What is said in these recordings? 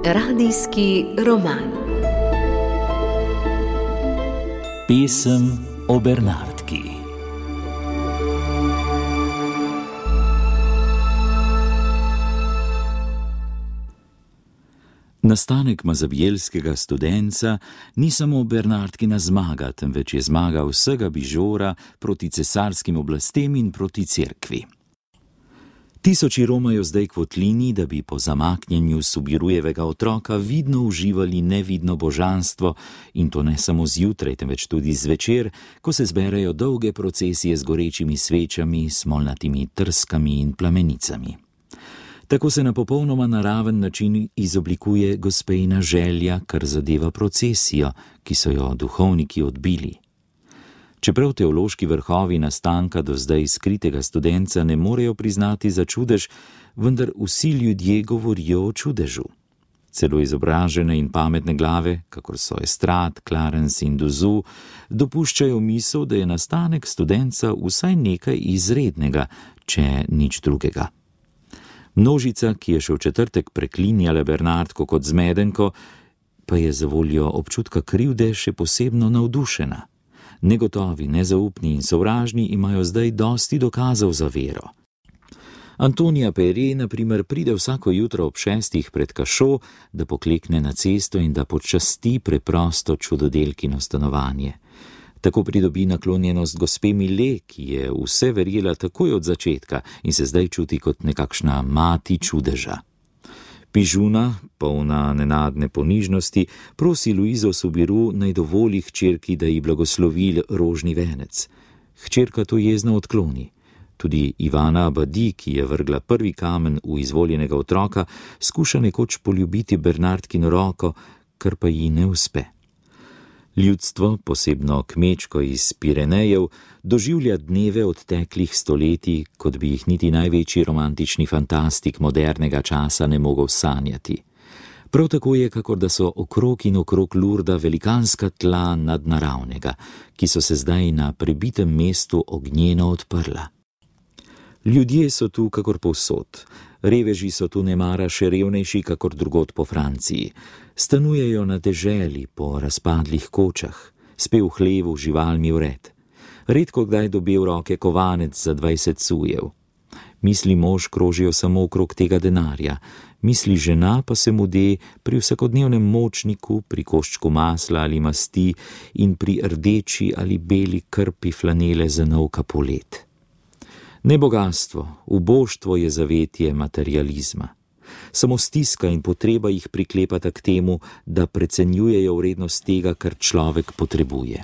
Radijski roman. Pesem o Bernardki. Nastanek mazabjelskega studenca ni samo Bernardkina zmaga, temveč je zmaga vsega Bižora proti cesarskim oblastem in proti cerkvi. Tisoči romajo zdaj k votlini, da bi po zamaknjenju Subirujevega otroka vidno uživali nevidno božanstvo, in to ne samo zjutraj, temveč tudi zvečer, ko se zberejo dolge procesije z gorečimi svečami, smolnatimi trskami in plamenicami. Tako se na popolnoma naraven način izoblikuje gospejina želja, kar zadeva procesijo, ki so jo duhovniki odbili. Čeprav teološki vrhovi nastanka do zdaj skritega studenca ne morejo priznati za čudež, vendar vsi ljudje govorijo o čudežu. Celo izobražene in pametne glave, kakor so Estrad, Clarence in Duzu, dopuščajo misel, da je nastanek studenca vsaj nekaj izrednega, če nič drugega. Množica, ki je še v četrtek preklinjala Bernardko kot zmedenko, pa je zavoljo občutka krivde še posebno navdušena. Negotovi, nezaupni in sovražni imajo zdaj dosti dokazov za vero. Antonija Pere, na primer, pride vsako jutro ob 6 pred kašo, da poklekne na cesto in da počasti preprosto čudodelkino stanovanje. Tako pridobi naklonjenost gospe Mile, ki je vse verjela takoj od začetka in se zdaj čuti kot nekakšna mati čudeža. Pižuna, polna nenadne ponižnosti, prosi Luizo Subiru, naj dovoli hčerki, da ji blagoslovi rožni venec. Hčerka to jezno odkloni. Tudi Ivana Abadi, ki je vrgla prvi kamen v izvoljenega otroka, skuša nekoč poljubiti Bernardkino roko, kar pa ji ne uspe. Ljudstvo, posebno kmečko iz Pirenejev, doživlja dneve odteklih stoletij, kot bi jih niti največji romantični fantastik modernega časa ne mogel sanjati. Prav tako je, kakor da so okrog in okrog Lurda velikanska tla nadnaravnega, ki so se zdaj na prebitem mestu ognjeno odprla. Ljudje so tu kakor povsod. Reveži so tu nemara še revnejši kakor drugod po Franciji. Stanujejo na deželi po razpadlih kočah, spe v hlevu živalmi vred. Redko kdaj dobi v roke kovanec za 20 sujev. Misli mož krožijo samo okrog tega denarja, misli žena pa se mude pri vsakodnevnem močniku, pri koščku masla ali masti in pri rdeči ali beli krpi flanele za nov kapolet. Ne bogastvo, uboštvo je zavetje materializma. Samo stiska in potreba jih priklepata k temu, da precenjujejo vrednost tega, kar človek potrebuje.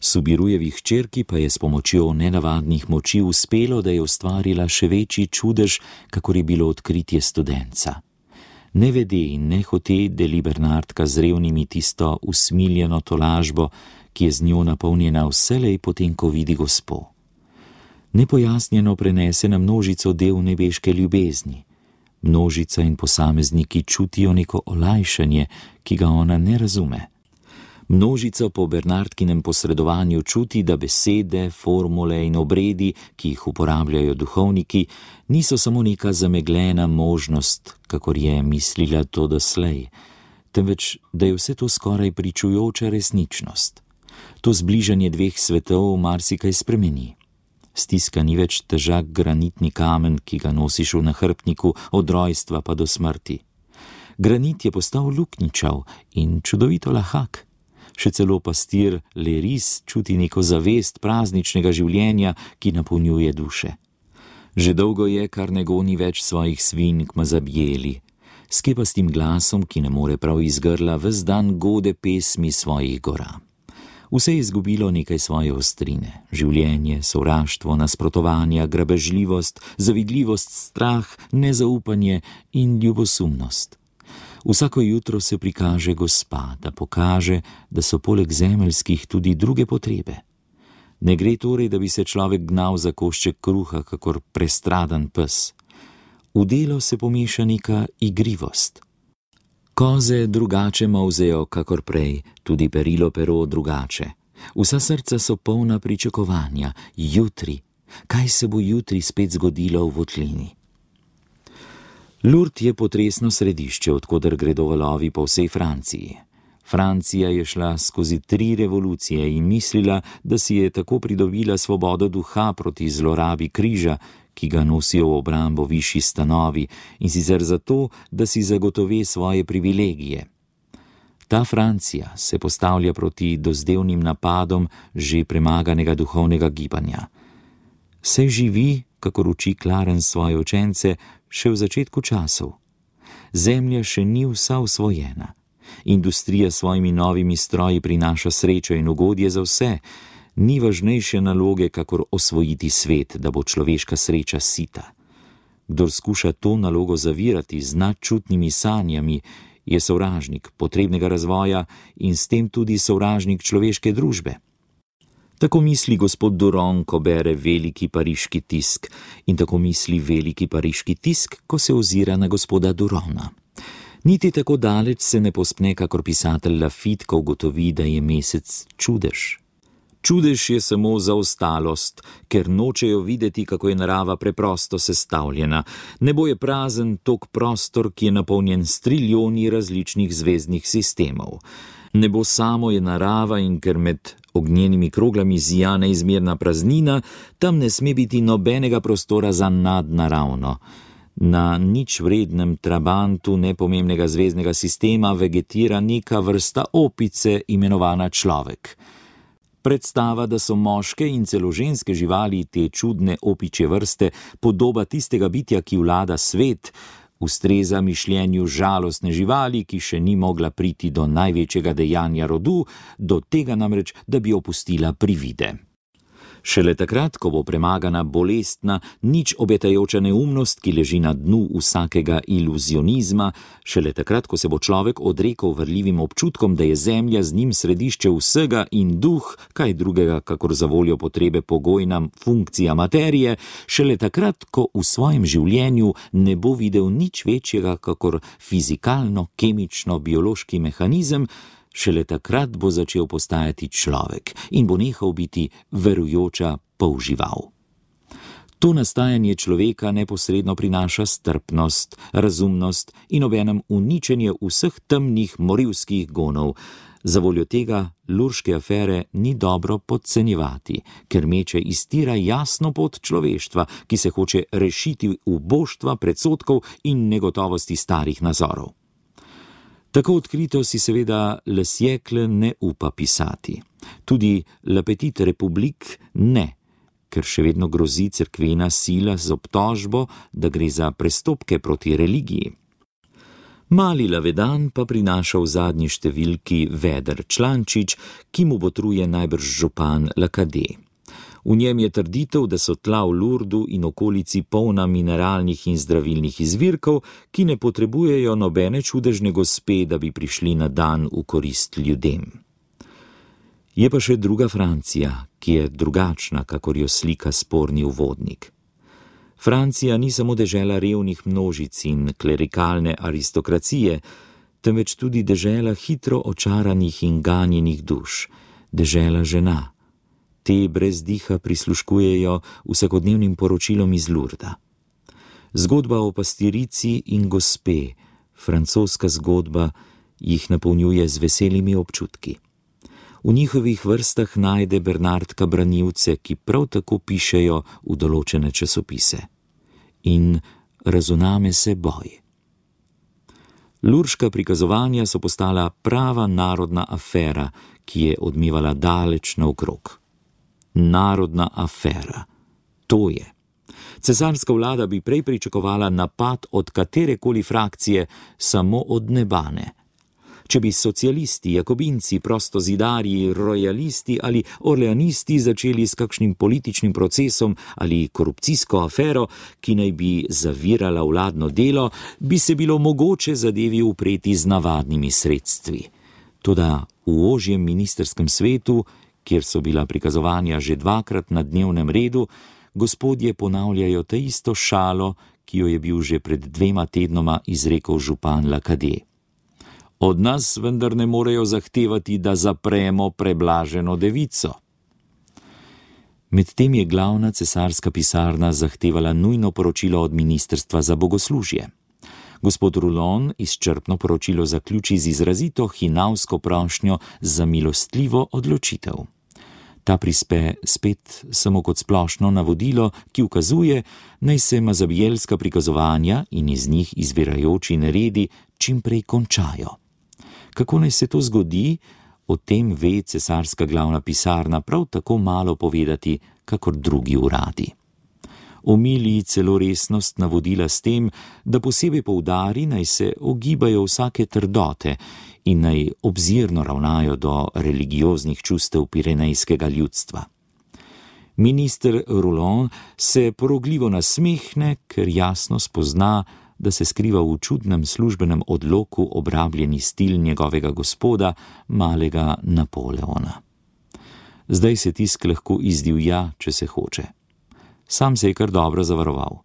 Subirujevi hčerki pa je s pomočjo nenavadnih moči uspelo, da je ustvarila še večji čudež, kakor je bilo odkritje studenca. Nevede in nehote deli Bernardka z revnimi tisto usmiljeno tolažbo, ki je z njo napolnjena vselej potem, ko vidi gospo. Nepojasnjeno prenese na množico del nebeške ljubezni. Množica in posamezniki čutijo neko olajšanje, ki ga ona ne razume. Množica po Bernardkinem posredovanju čuti, da besede, formule in obredi, ki jih uporabljajo duhovniki, niso samo neka zamegljena možnost, kakor je mislila to doslej, temveč da je vse to skoraj pričujoča resničnost. To zbližanje dveh svetov marsikaj spremeni. Stiska ni več težak granitni kamen, ki ga nosiš v nahrbtniku od rojstva pa do smrti. Granit je postal luknjičav in čudovito lahak. Še celo pastir Leris čuti neko zavest prazničnega življenja, ki napolnjuje duše. Že dolgo je, kar ne goni več svojih svinj k mazabjeli. S kepastim glasom, ki ne more prav iz grla, ves dan gode pesmi svojih gora. Vse je izgubilo nekaj svoje ostrine. Življenje, sovraštvo, nasprotovanja, grabežljivost, zavidljivost, strah, nezaupanje in ljubosumnost. Vsako jutro se prikaže gospa, da pokaže, da so poleg zemeljskih tudi druge potrebe. Ne gre torej, da bi se človek gnal za košček kruha, kakor prestradan pes. V delo se pomeša neka igrivost. Koze drugače molzejo, kakor prej, tudi perilo pero drugače. Vsa srca so polna pričakovanja, jutri. Kaj se bo jutri spet zgodilo v votlini? Lourdes je potresno središče, odkoder gredo valovi po vsej Franciji. Francija je šla skozi 3 revolucije in mislila, da si je tako pridobila svobodo duha proti zlorabi križa, ki ga nosijo v obrambo višji stanovi, in sicer zato, da si zagotovi svoje privilegije. Ta Francija se postavlja proti dozdevnim napadom že premaganega duhovnega gibanja. Saj živi, kakor uči Clarence svoje učence, še v začetku časov. Zemlja še ni vsa osvojena. Industrija s svojimi novimi stroji prinaša srečo in ugodje za vse. Ni važnejše naloge, kakor osvojiti svet, da bo človeška sreča sita. Kdor skuša to nalogo zavirati z nadčutnimi sanjami, je sovražnik potrebnega razvoja in s tem tudi sovražnik človeške družbe. Tako misli gospod Duron, ko bere veliki pariški tisk, in tako misli veliki pariški tisk, ko se ozira na gospoda Durona. Niti tako daleč se ne pospne, kakor pisatelj Lafitte, ko ugotovi, da je mesec čudež. Čudež je samo zaostalost, ker nočejo videti, kako je narava preprosto sestavljena. Nebo je prazen tok prostor, ki je napolnjen s trilijoni različnih zvezdnih sistemov. Nebo samo je narava in ker med ognjenimi kroglami zija neizmerna praznina, tam ne sme biti nobenega prostora za nadnaravno. Na nič vrednem trabantu nepomembnega zvezdnega sistema vegetira neka vrsta opice, imenovana človek. Predstava, da so moške in celo ženske živali te čudne opičje vrste podoba tistega bitja, ki vlada svet, ustreza mišljenju žalostne živali, ki še ni mogla priti do največjega dejanja rodu, do tega namreč, da bi opustila privide. Šele takrat, ko bo premagana bolestna, nič obetajoča neumnost, ki leži na dnu vsakega iluzionizma, šele takrat, ko se bo človek odrekel vrljivim občutkom, da je zemlja z njim središče vsega in duh, kaj drugega, kakor za voljo potrebe pogojna funkcija materije, šele takrat, ko v svojem življenju ne bo videl nič večjega, kakor fizikalno-kemično-biološki mehanizem, šele takrat bo začel postajati človek in bo nehal biti verujoča polžival. To nastajanje človeka neposredno prinaša strpnost, razumnost in obenem uničenje vseh temnih morilskih gonov. Zavoljo tega Lourdeške afere ni dobro podcenjevati, ker meče iztira jasno pot človeštva, ki se hoče rešiti uboštva, predsodkov in negotovosti starih nazorov. Tako odkrito si seveda Le Siècle ne upa pisati. Tudi La Petite République ne, ker še vedno grozi cerkvena sila z obtožbo, da gre za prestopke proti religiji. Mali Lavedan pa prinaša v zadnji številki veder člančič, ki mu botruje najbrž župan Lacadé. V njem je trditev, da so tla v Lourdu in okolici polna mineralnih in zdravilnih izvirkov, ki ne potrebujejo nobene čudežne gospe, da bi prišli na dan v korist ljudem. Je pa še druga Francija, ki je drugačna, kakor jo slika sporni uvodnik. Francija ni samo dežela revnih množic in klerikalne aristokracije, temveč tudi dežela hitro očaranih in ganjenih duš, dežela žena. Te brez diha prisluškujejo vsakodnevnim poročilom iz Lourda. Zgodba o pastirici in gospe, francoska zgodba, jih napolnjuje z veselimi občutki. V njihovih vrstah najde Bernardka branilce, ki prav tako pišejo v določene časopise. In razuname se boj. Lourdeška prikazovanja so postala prava narodna afera, ki je odmevala daleč naokrog. Narodna afera. To je. Cesarska vlada bi prej pričakovala napad od katerekoli frakcije, samo od nebane. Če bi socialisti, jakobinci, prostozidarji, rojalisti ali orleanisti začeli s kakšnim političnim procesom ali korupcijsko afero, ki naj bi zavirala vladno delo, bi se bilo mogoče zadevi upreti z navadnimi sredstvi. Toda v ožjem ministrskem svetu, kjer so bila prikazovanja že 2-krat na dnevnem redu, gospodje ponavljajo ta isto šalo, ki jo je bil že pred 2 tednoma izrekel župan Lacadé. Od nas vendar ne morejo zahtevati, da zapremo preblaženo devico. Medtem je glavna cesarska pisarna zahtevala nujno poročilo od ministrstva za bogoslužje. Gospod Rouland izčrpno poročilo zaključi z izrazito hinavsko prošnjo za milostljivo odločitev. Ta prispe spet samo kot splošno navodilo, ki ukazuje, naj se mazabijelska prikazovanja in iz njih izvirajoči neredi čim prej končajo. Kako naj se to zgodi, o tem ve cesarska glavna pisarna prav tako malo povedati, kakor drugi uradi. Omili celo resnost navodila s tem, da posebej poudari, naj se ogibajo vsake trdote in naj obzirno ravnajo do religioznih čustev pirenejskega ljudstva. Minister Rouland se porogljivo nasmehne, ker jasno spozna, da se skriva v čudnem službenem odloku obrabljeni stil njegovega gospoda, malega Napoleona. Zdaj se tisk lahko izdivja, če se hoče. Sam se je kar dobro zavaroval.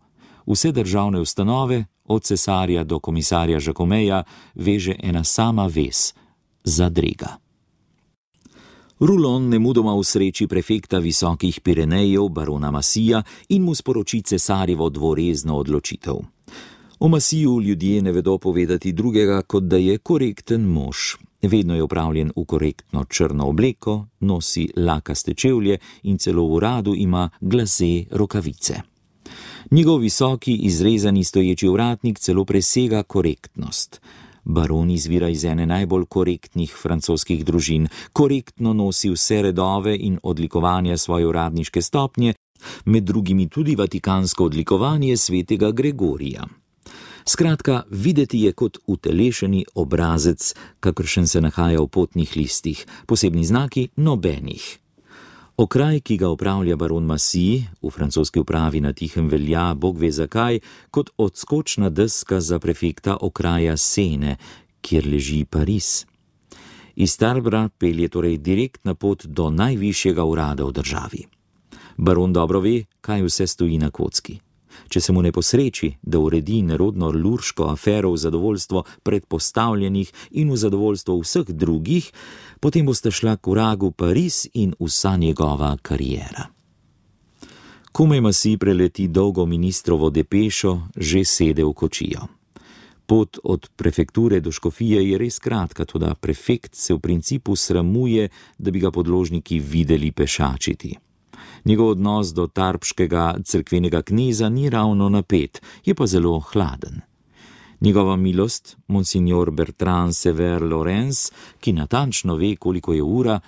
Vse državne ustanove, od cesarja do komisarja Žakomeja, veže ena sama vez – zadrega. Rouland nemudoma usreči prefekta visokih Pirenejev, barona Massija, in mu sporoči cesarjevo dvorezno odločitev. O Massiju ljudje ne vedo povedati drugega, kot da je korekten mož. Vedno je opravljen v korektno črno obleko, nosi lakaste čevlje in celo v uradu ima glase rokavice. Njegov visoki, izrezani stoječi ovratnik celo presega korektnost. Baron izvira iz ene najbolj korektnih francoskih družin, korektno nosi vse redove in odlikovanja svoje uradniške stopnje, med drugimi tudi vatikansko odlikovanje svetega Gregorija. Skratka, videti je kot utelešeni obrazec, kakršen se nahaja v potnih listih, posebni znaki nobenih. Okraj, ki ga upravlja baron Massy, v francoski upravi na Tihem velja, bog ve zakaj, kot odskočna deska za prefekta okraja Sene, kjer leži Pariz. Iz Tarbra pelje torej direktna pot do najvišjega urada v državi. Baron dobro ve, kaj vse stoji na kocki. Če se mu ne posreči, da uredi nerodno lurško afero v zadovoljstvo predpostavljenih in v zadovoljstvo vseh drugih, potem boste šla k vragu Pariz in vsa njegova kariera. Komaj Massy preleti dolgo ministrovo depešo, že sede v kočijo. Pot od prefekture do škofije je res kratka, toda prefekt se v principu sramuje, da bi ga podložniki videli pešačiti. Njegov odnos do tarbškega cerkvenega kneza ni ravno napet, je pa zelo hladen. Njegova milost, monsignor Bertrand Sever Lorenz, ki natančno ve, koliko je ura,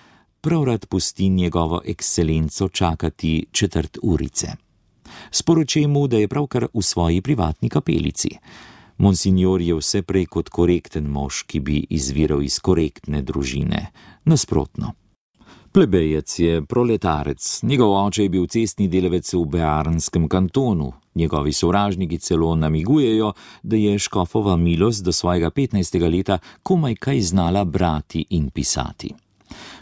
prav rad pusti njegovo ekscelenco čakati 1/4 urice. Sporoči mu, da je pravkar v svoji privatni kapelici. Monsignor je vse prej kot korekten mož, ki bi izviral iz korektne družine. Nasprotno. Plebejec je proletarec, njegov oče je bil cestni delavec v Bearnskem kantonu, njegovi sovražniki celo namigujejo, da je škofova milost do svojega 15. leta komaj kaj znala brati in pisati.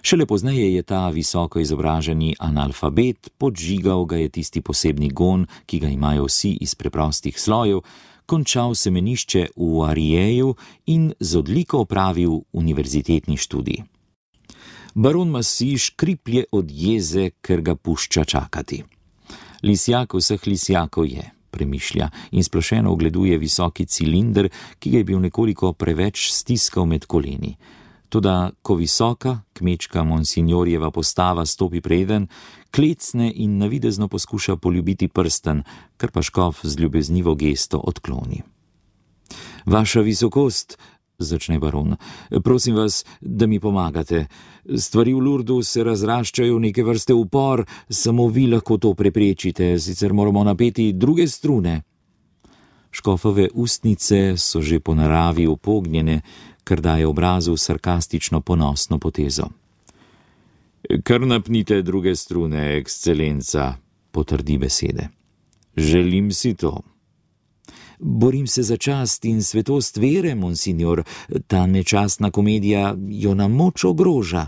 Šele pozneje je ta visoko izobraženi analfabet, podžigal ga je tisti posebni gon, ki ga imajo vsi iz preprostih slojev, končal semenišče v Arijeju in z odliko opravil univerzitetni študij. Baron Massy škriplje od jeze, ker ga pušča čakati. Lisjak vseh lisjakov je, premišlja in splošeno ogleduje visoki cilinder, ki ga je bil nekoliko preveč stiskal med koleni. Toda, ko visoka, kmečka monsignorjeva postava stopi preden, klecne in navidezno poskuša poljubiti prsten, kar pa škof z ljubeznivo gesto odkloni. Vaša visokost, začne baron, prosim vas, da mi pomagate. Stvari v Lourdu se razraščajo neke vrste upor, samo vi lahko to preprečite, sicer moramo napeti druge strune. Škofove ustnice so že po naravi upognjene, kar daje obrazu sarkastično ponosno potezo. Kar napnite druge strune, ekscelenca, potrdi besede. Želim si to. Borim se za čast in svetost vere, monsignor, ta nečastna komedija jo na moč ogroža.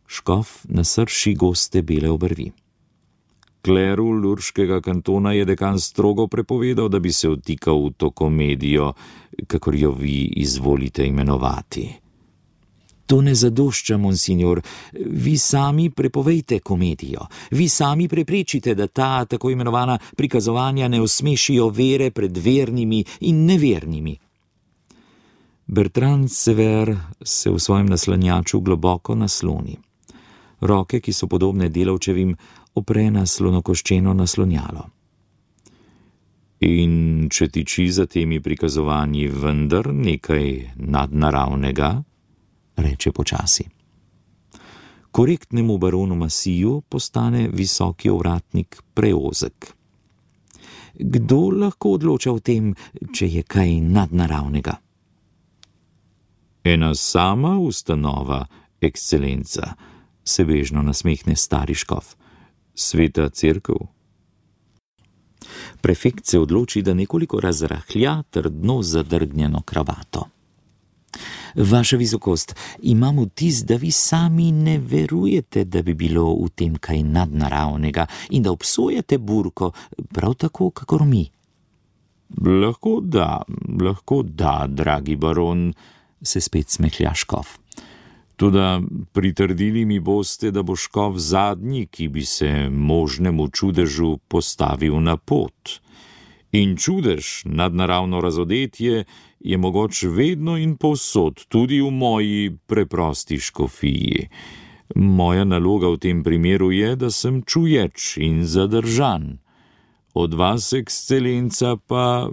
Škof nasrši goste bele obrvi. Kleru lurškega kantona je dekan strogo prepovedal, da bi se vtikal v to komedijo, kakor jo vi izvolite imenovati. To ne zadošča, monsignor. Vi sami prepovejte komedijo. Vi sami preprečite, da ta tako imenovana prikazovanja ne osmešijo vere pred vernimi in nevernimi. Bertrand Sever se v svojem naslanjaču globoko nasloni. Roke, ki so podobne delavčevim, opre na slonokoščeno naslonjalo. In če tiči za temi prikazovanji vendar nekaj nadnaravnega, reče počasi. Korektnemu baronu Massiju postane visoki ovratnik preozek. Kdo lahko odloča o tem, če je kaj nadnaravnega? Ena sama ustanova, ekscelenca, se bežno nasmehne stari škof. Sveta cerkev. Prefekt se odloči, da nekoliko razrahlja trdno zadrgnjeno kravato. Vaša visokost, imam vtis, da vi sami ne verujete, da bi bilo v tem kaj nadnaravnega in da obsojate burko, prav tako, kakor mi. Lahko da, dragi baron, se spet smehlja škof. Toda pritrdili mi boste, da bo škof zadnji, ki bi se možnemu čudežu postavil na pot. In čudež, nadnaravno razodetje, je mogoč vedno in povsod, tudi v moji preprosti škofiji. Moja naloga v tem primeru je, da sem čuječ in zadržan. Od vas, ekscelenca, pa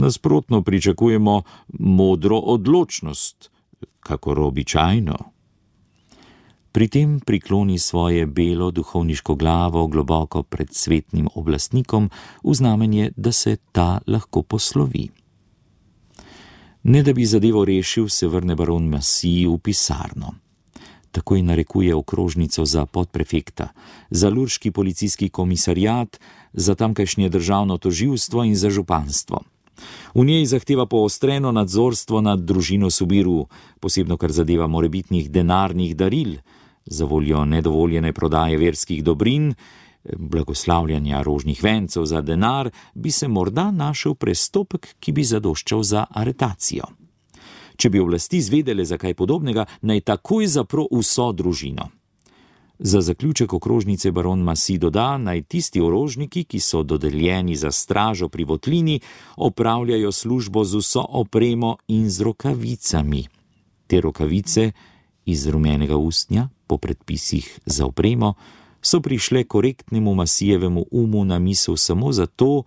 nasprotno pričakujemo modro odločnost, kakor običajno. Pri tem prikloni svoje belo duhovniško glavo globoko pred svetnim oblastnikom v znamenje, da se ta lahko poslovi. Ne da bi zadevo rešil, se vrne baron Massy v pisarno. Takoj narekuje okrožnico za podprefekta, za lurški policijski komisariat, za tamkajšnje državno tožilstvo in za županstvo. V njej zahteva poostreno nadzorstvo nad družino Subiru, posebno kar zadeva morebitnih denarnih daril, za voljo nedovoljene prodaje verskih dobrin, blagoslavljanja rožnih vencev za denar, bi se morda našel prestopek, ki bi zadoščal za aretacijo. Če bi oblasti zvedele za kaj podobnega, naj takoj zapro vso družino. Za zaključek okrožnice baron Massy doda, naj tisti orožniki, ki so dodeljeni za stražo pri votlini, opravljajo službo z vso opremo in z rokavicami. Te rokavice iz rumenega ustnja, po predpisih za opremo, so prišle korektnemu Massyjevemu umu na misel samo zato,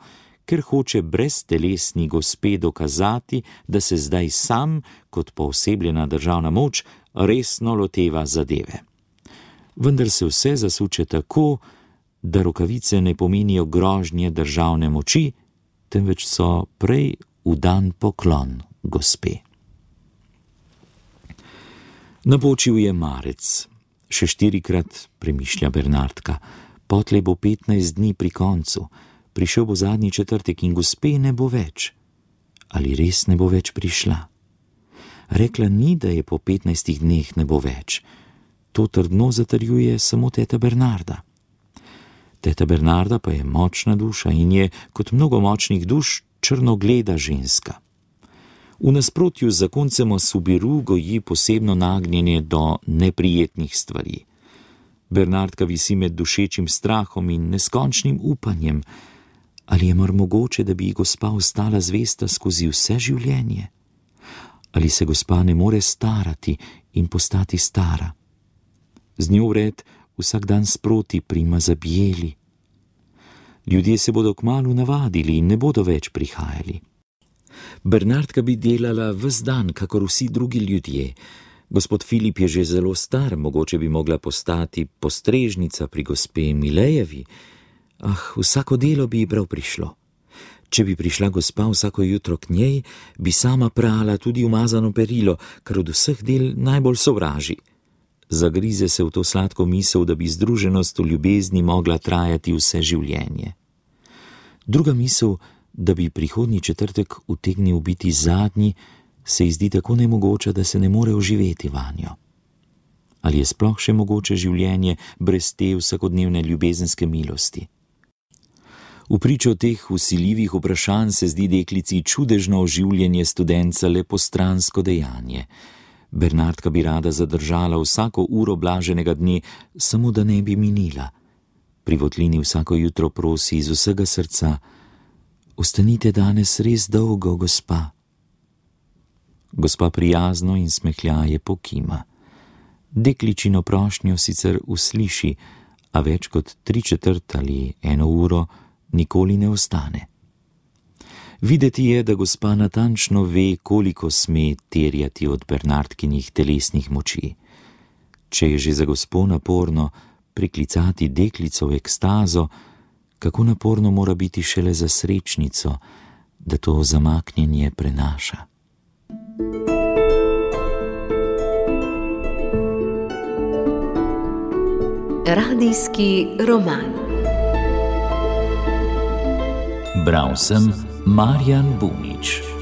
ker hoče breztelesni gospe dokazati, da se zdaj sam, kot poosebljena državna moč, resno loteva zadeve. Vendar se vse zasuče tako, da rokavice ne pomenijo grožnje državne moči, temveč so prej vdan poklon gospe. Napočil je marec. Še 4-krat, premišlja Bernardka, potlej bo 15 dni pri koncu, prišel bo zadnji četrtek in gospe ne bo več. Ali res ne bo več prišla? Rekla ni, da je po 15 dneh ne bo več. To trdno zatrjuje samo teta Bernarda. Teta Bernarda pa je močna duša in je, kot mnogo močnih duš, črnogleda ženska. V nasprotju z zakoncem o Subiru goji posebno nagnjenje do neprijetnih stvari. Bernardka visi med dušečim strahom in neskončnim upanjem. Ali je mar mogoče, da bi gospa ostala zvesta skozi vse življenje? Ali se gospa ne more starati in postati stara? Z njo vred vsak dan sproti prima zabijeli. Ljudje se bodo kmalu navadili in ne bodo več prihajali. Bernardka bi delala ves dan, kakor vsi drugi ljudje. Gospod Filip je že zelo star, mogoče bi mogla postati postrežnica pri gospe Milejevi. Vsako delo bi ji prav prišlo. Če bi prišla gospa vsako jutro k njej, bi sama prala tudi umazano perilo, kar od vseh del najbolj sovraži. Zagrize se v to sladko misel, da bi združenost v ljubezni mogla trajati vse življenje. Druga misel, da bi prihodnji četrtek utegnil biti zadnji, se ji zdi tako nemogoča, da se ne more oživeti vanjo. Ali je sploh še mogoče življenje brez te vsakodnevne ljubezenske milosti? V pričo teh vsiljivih vprašanj se zdi deklici čudežno oživljanje studenca le postransko dejanje. Bernardka bi rada zadržala vsako uro blaženega dne, samo da ne bi minila. Pri votlini vsako jutro prosi iz vsega srca: ostanite danes res dolgo, gospa. Gospa prijazno in smehljaje pokima. Dekličino prošnjo sicer usliši, a več kot 3/4 ali 1 uro nikoli ne ostane. Videti je, da gospa natančno ve, koliko sme terjati od Bernardkinih telesnih moči. Če je že za gospo naporno priklicati deklico v ekstazo, kako naporno mora biti šele za srečnico, da to zamaknjenje prenaša. Radijski roman. Bral sem Marjan Bunič.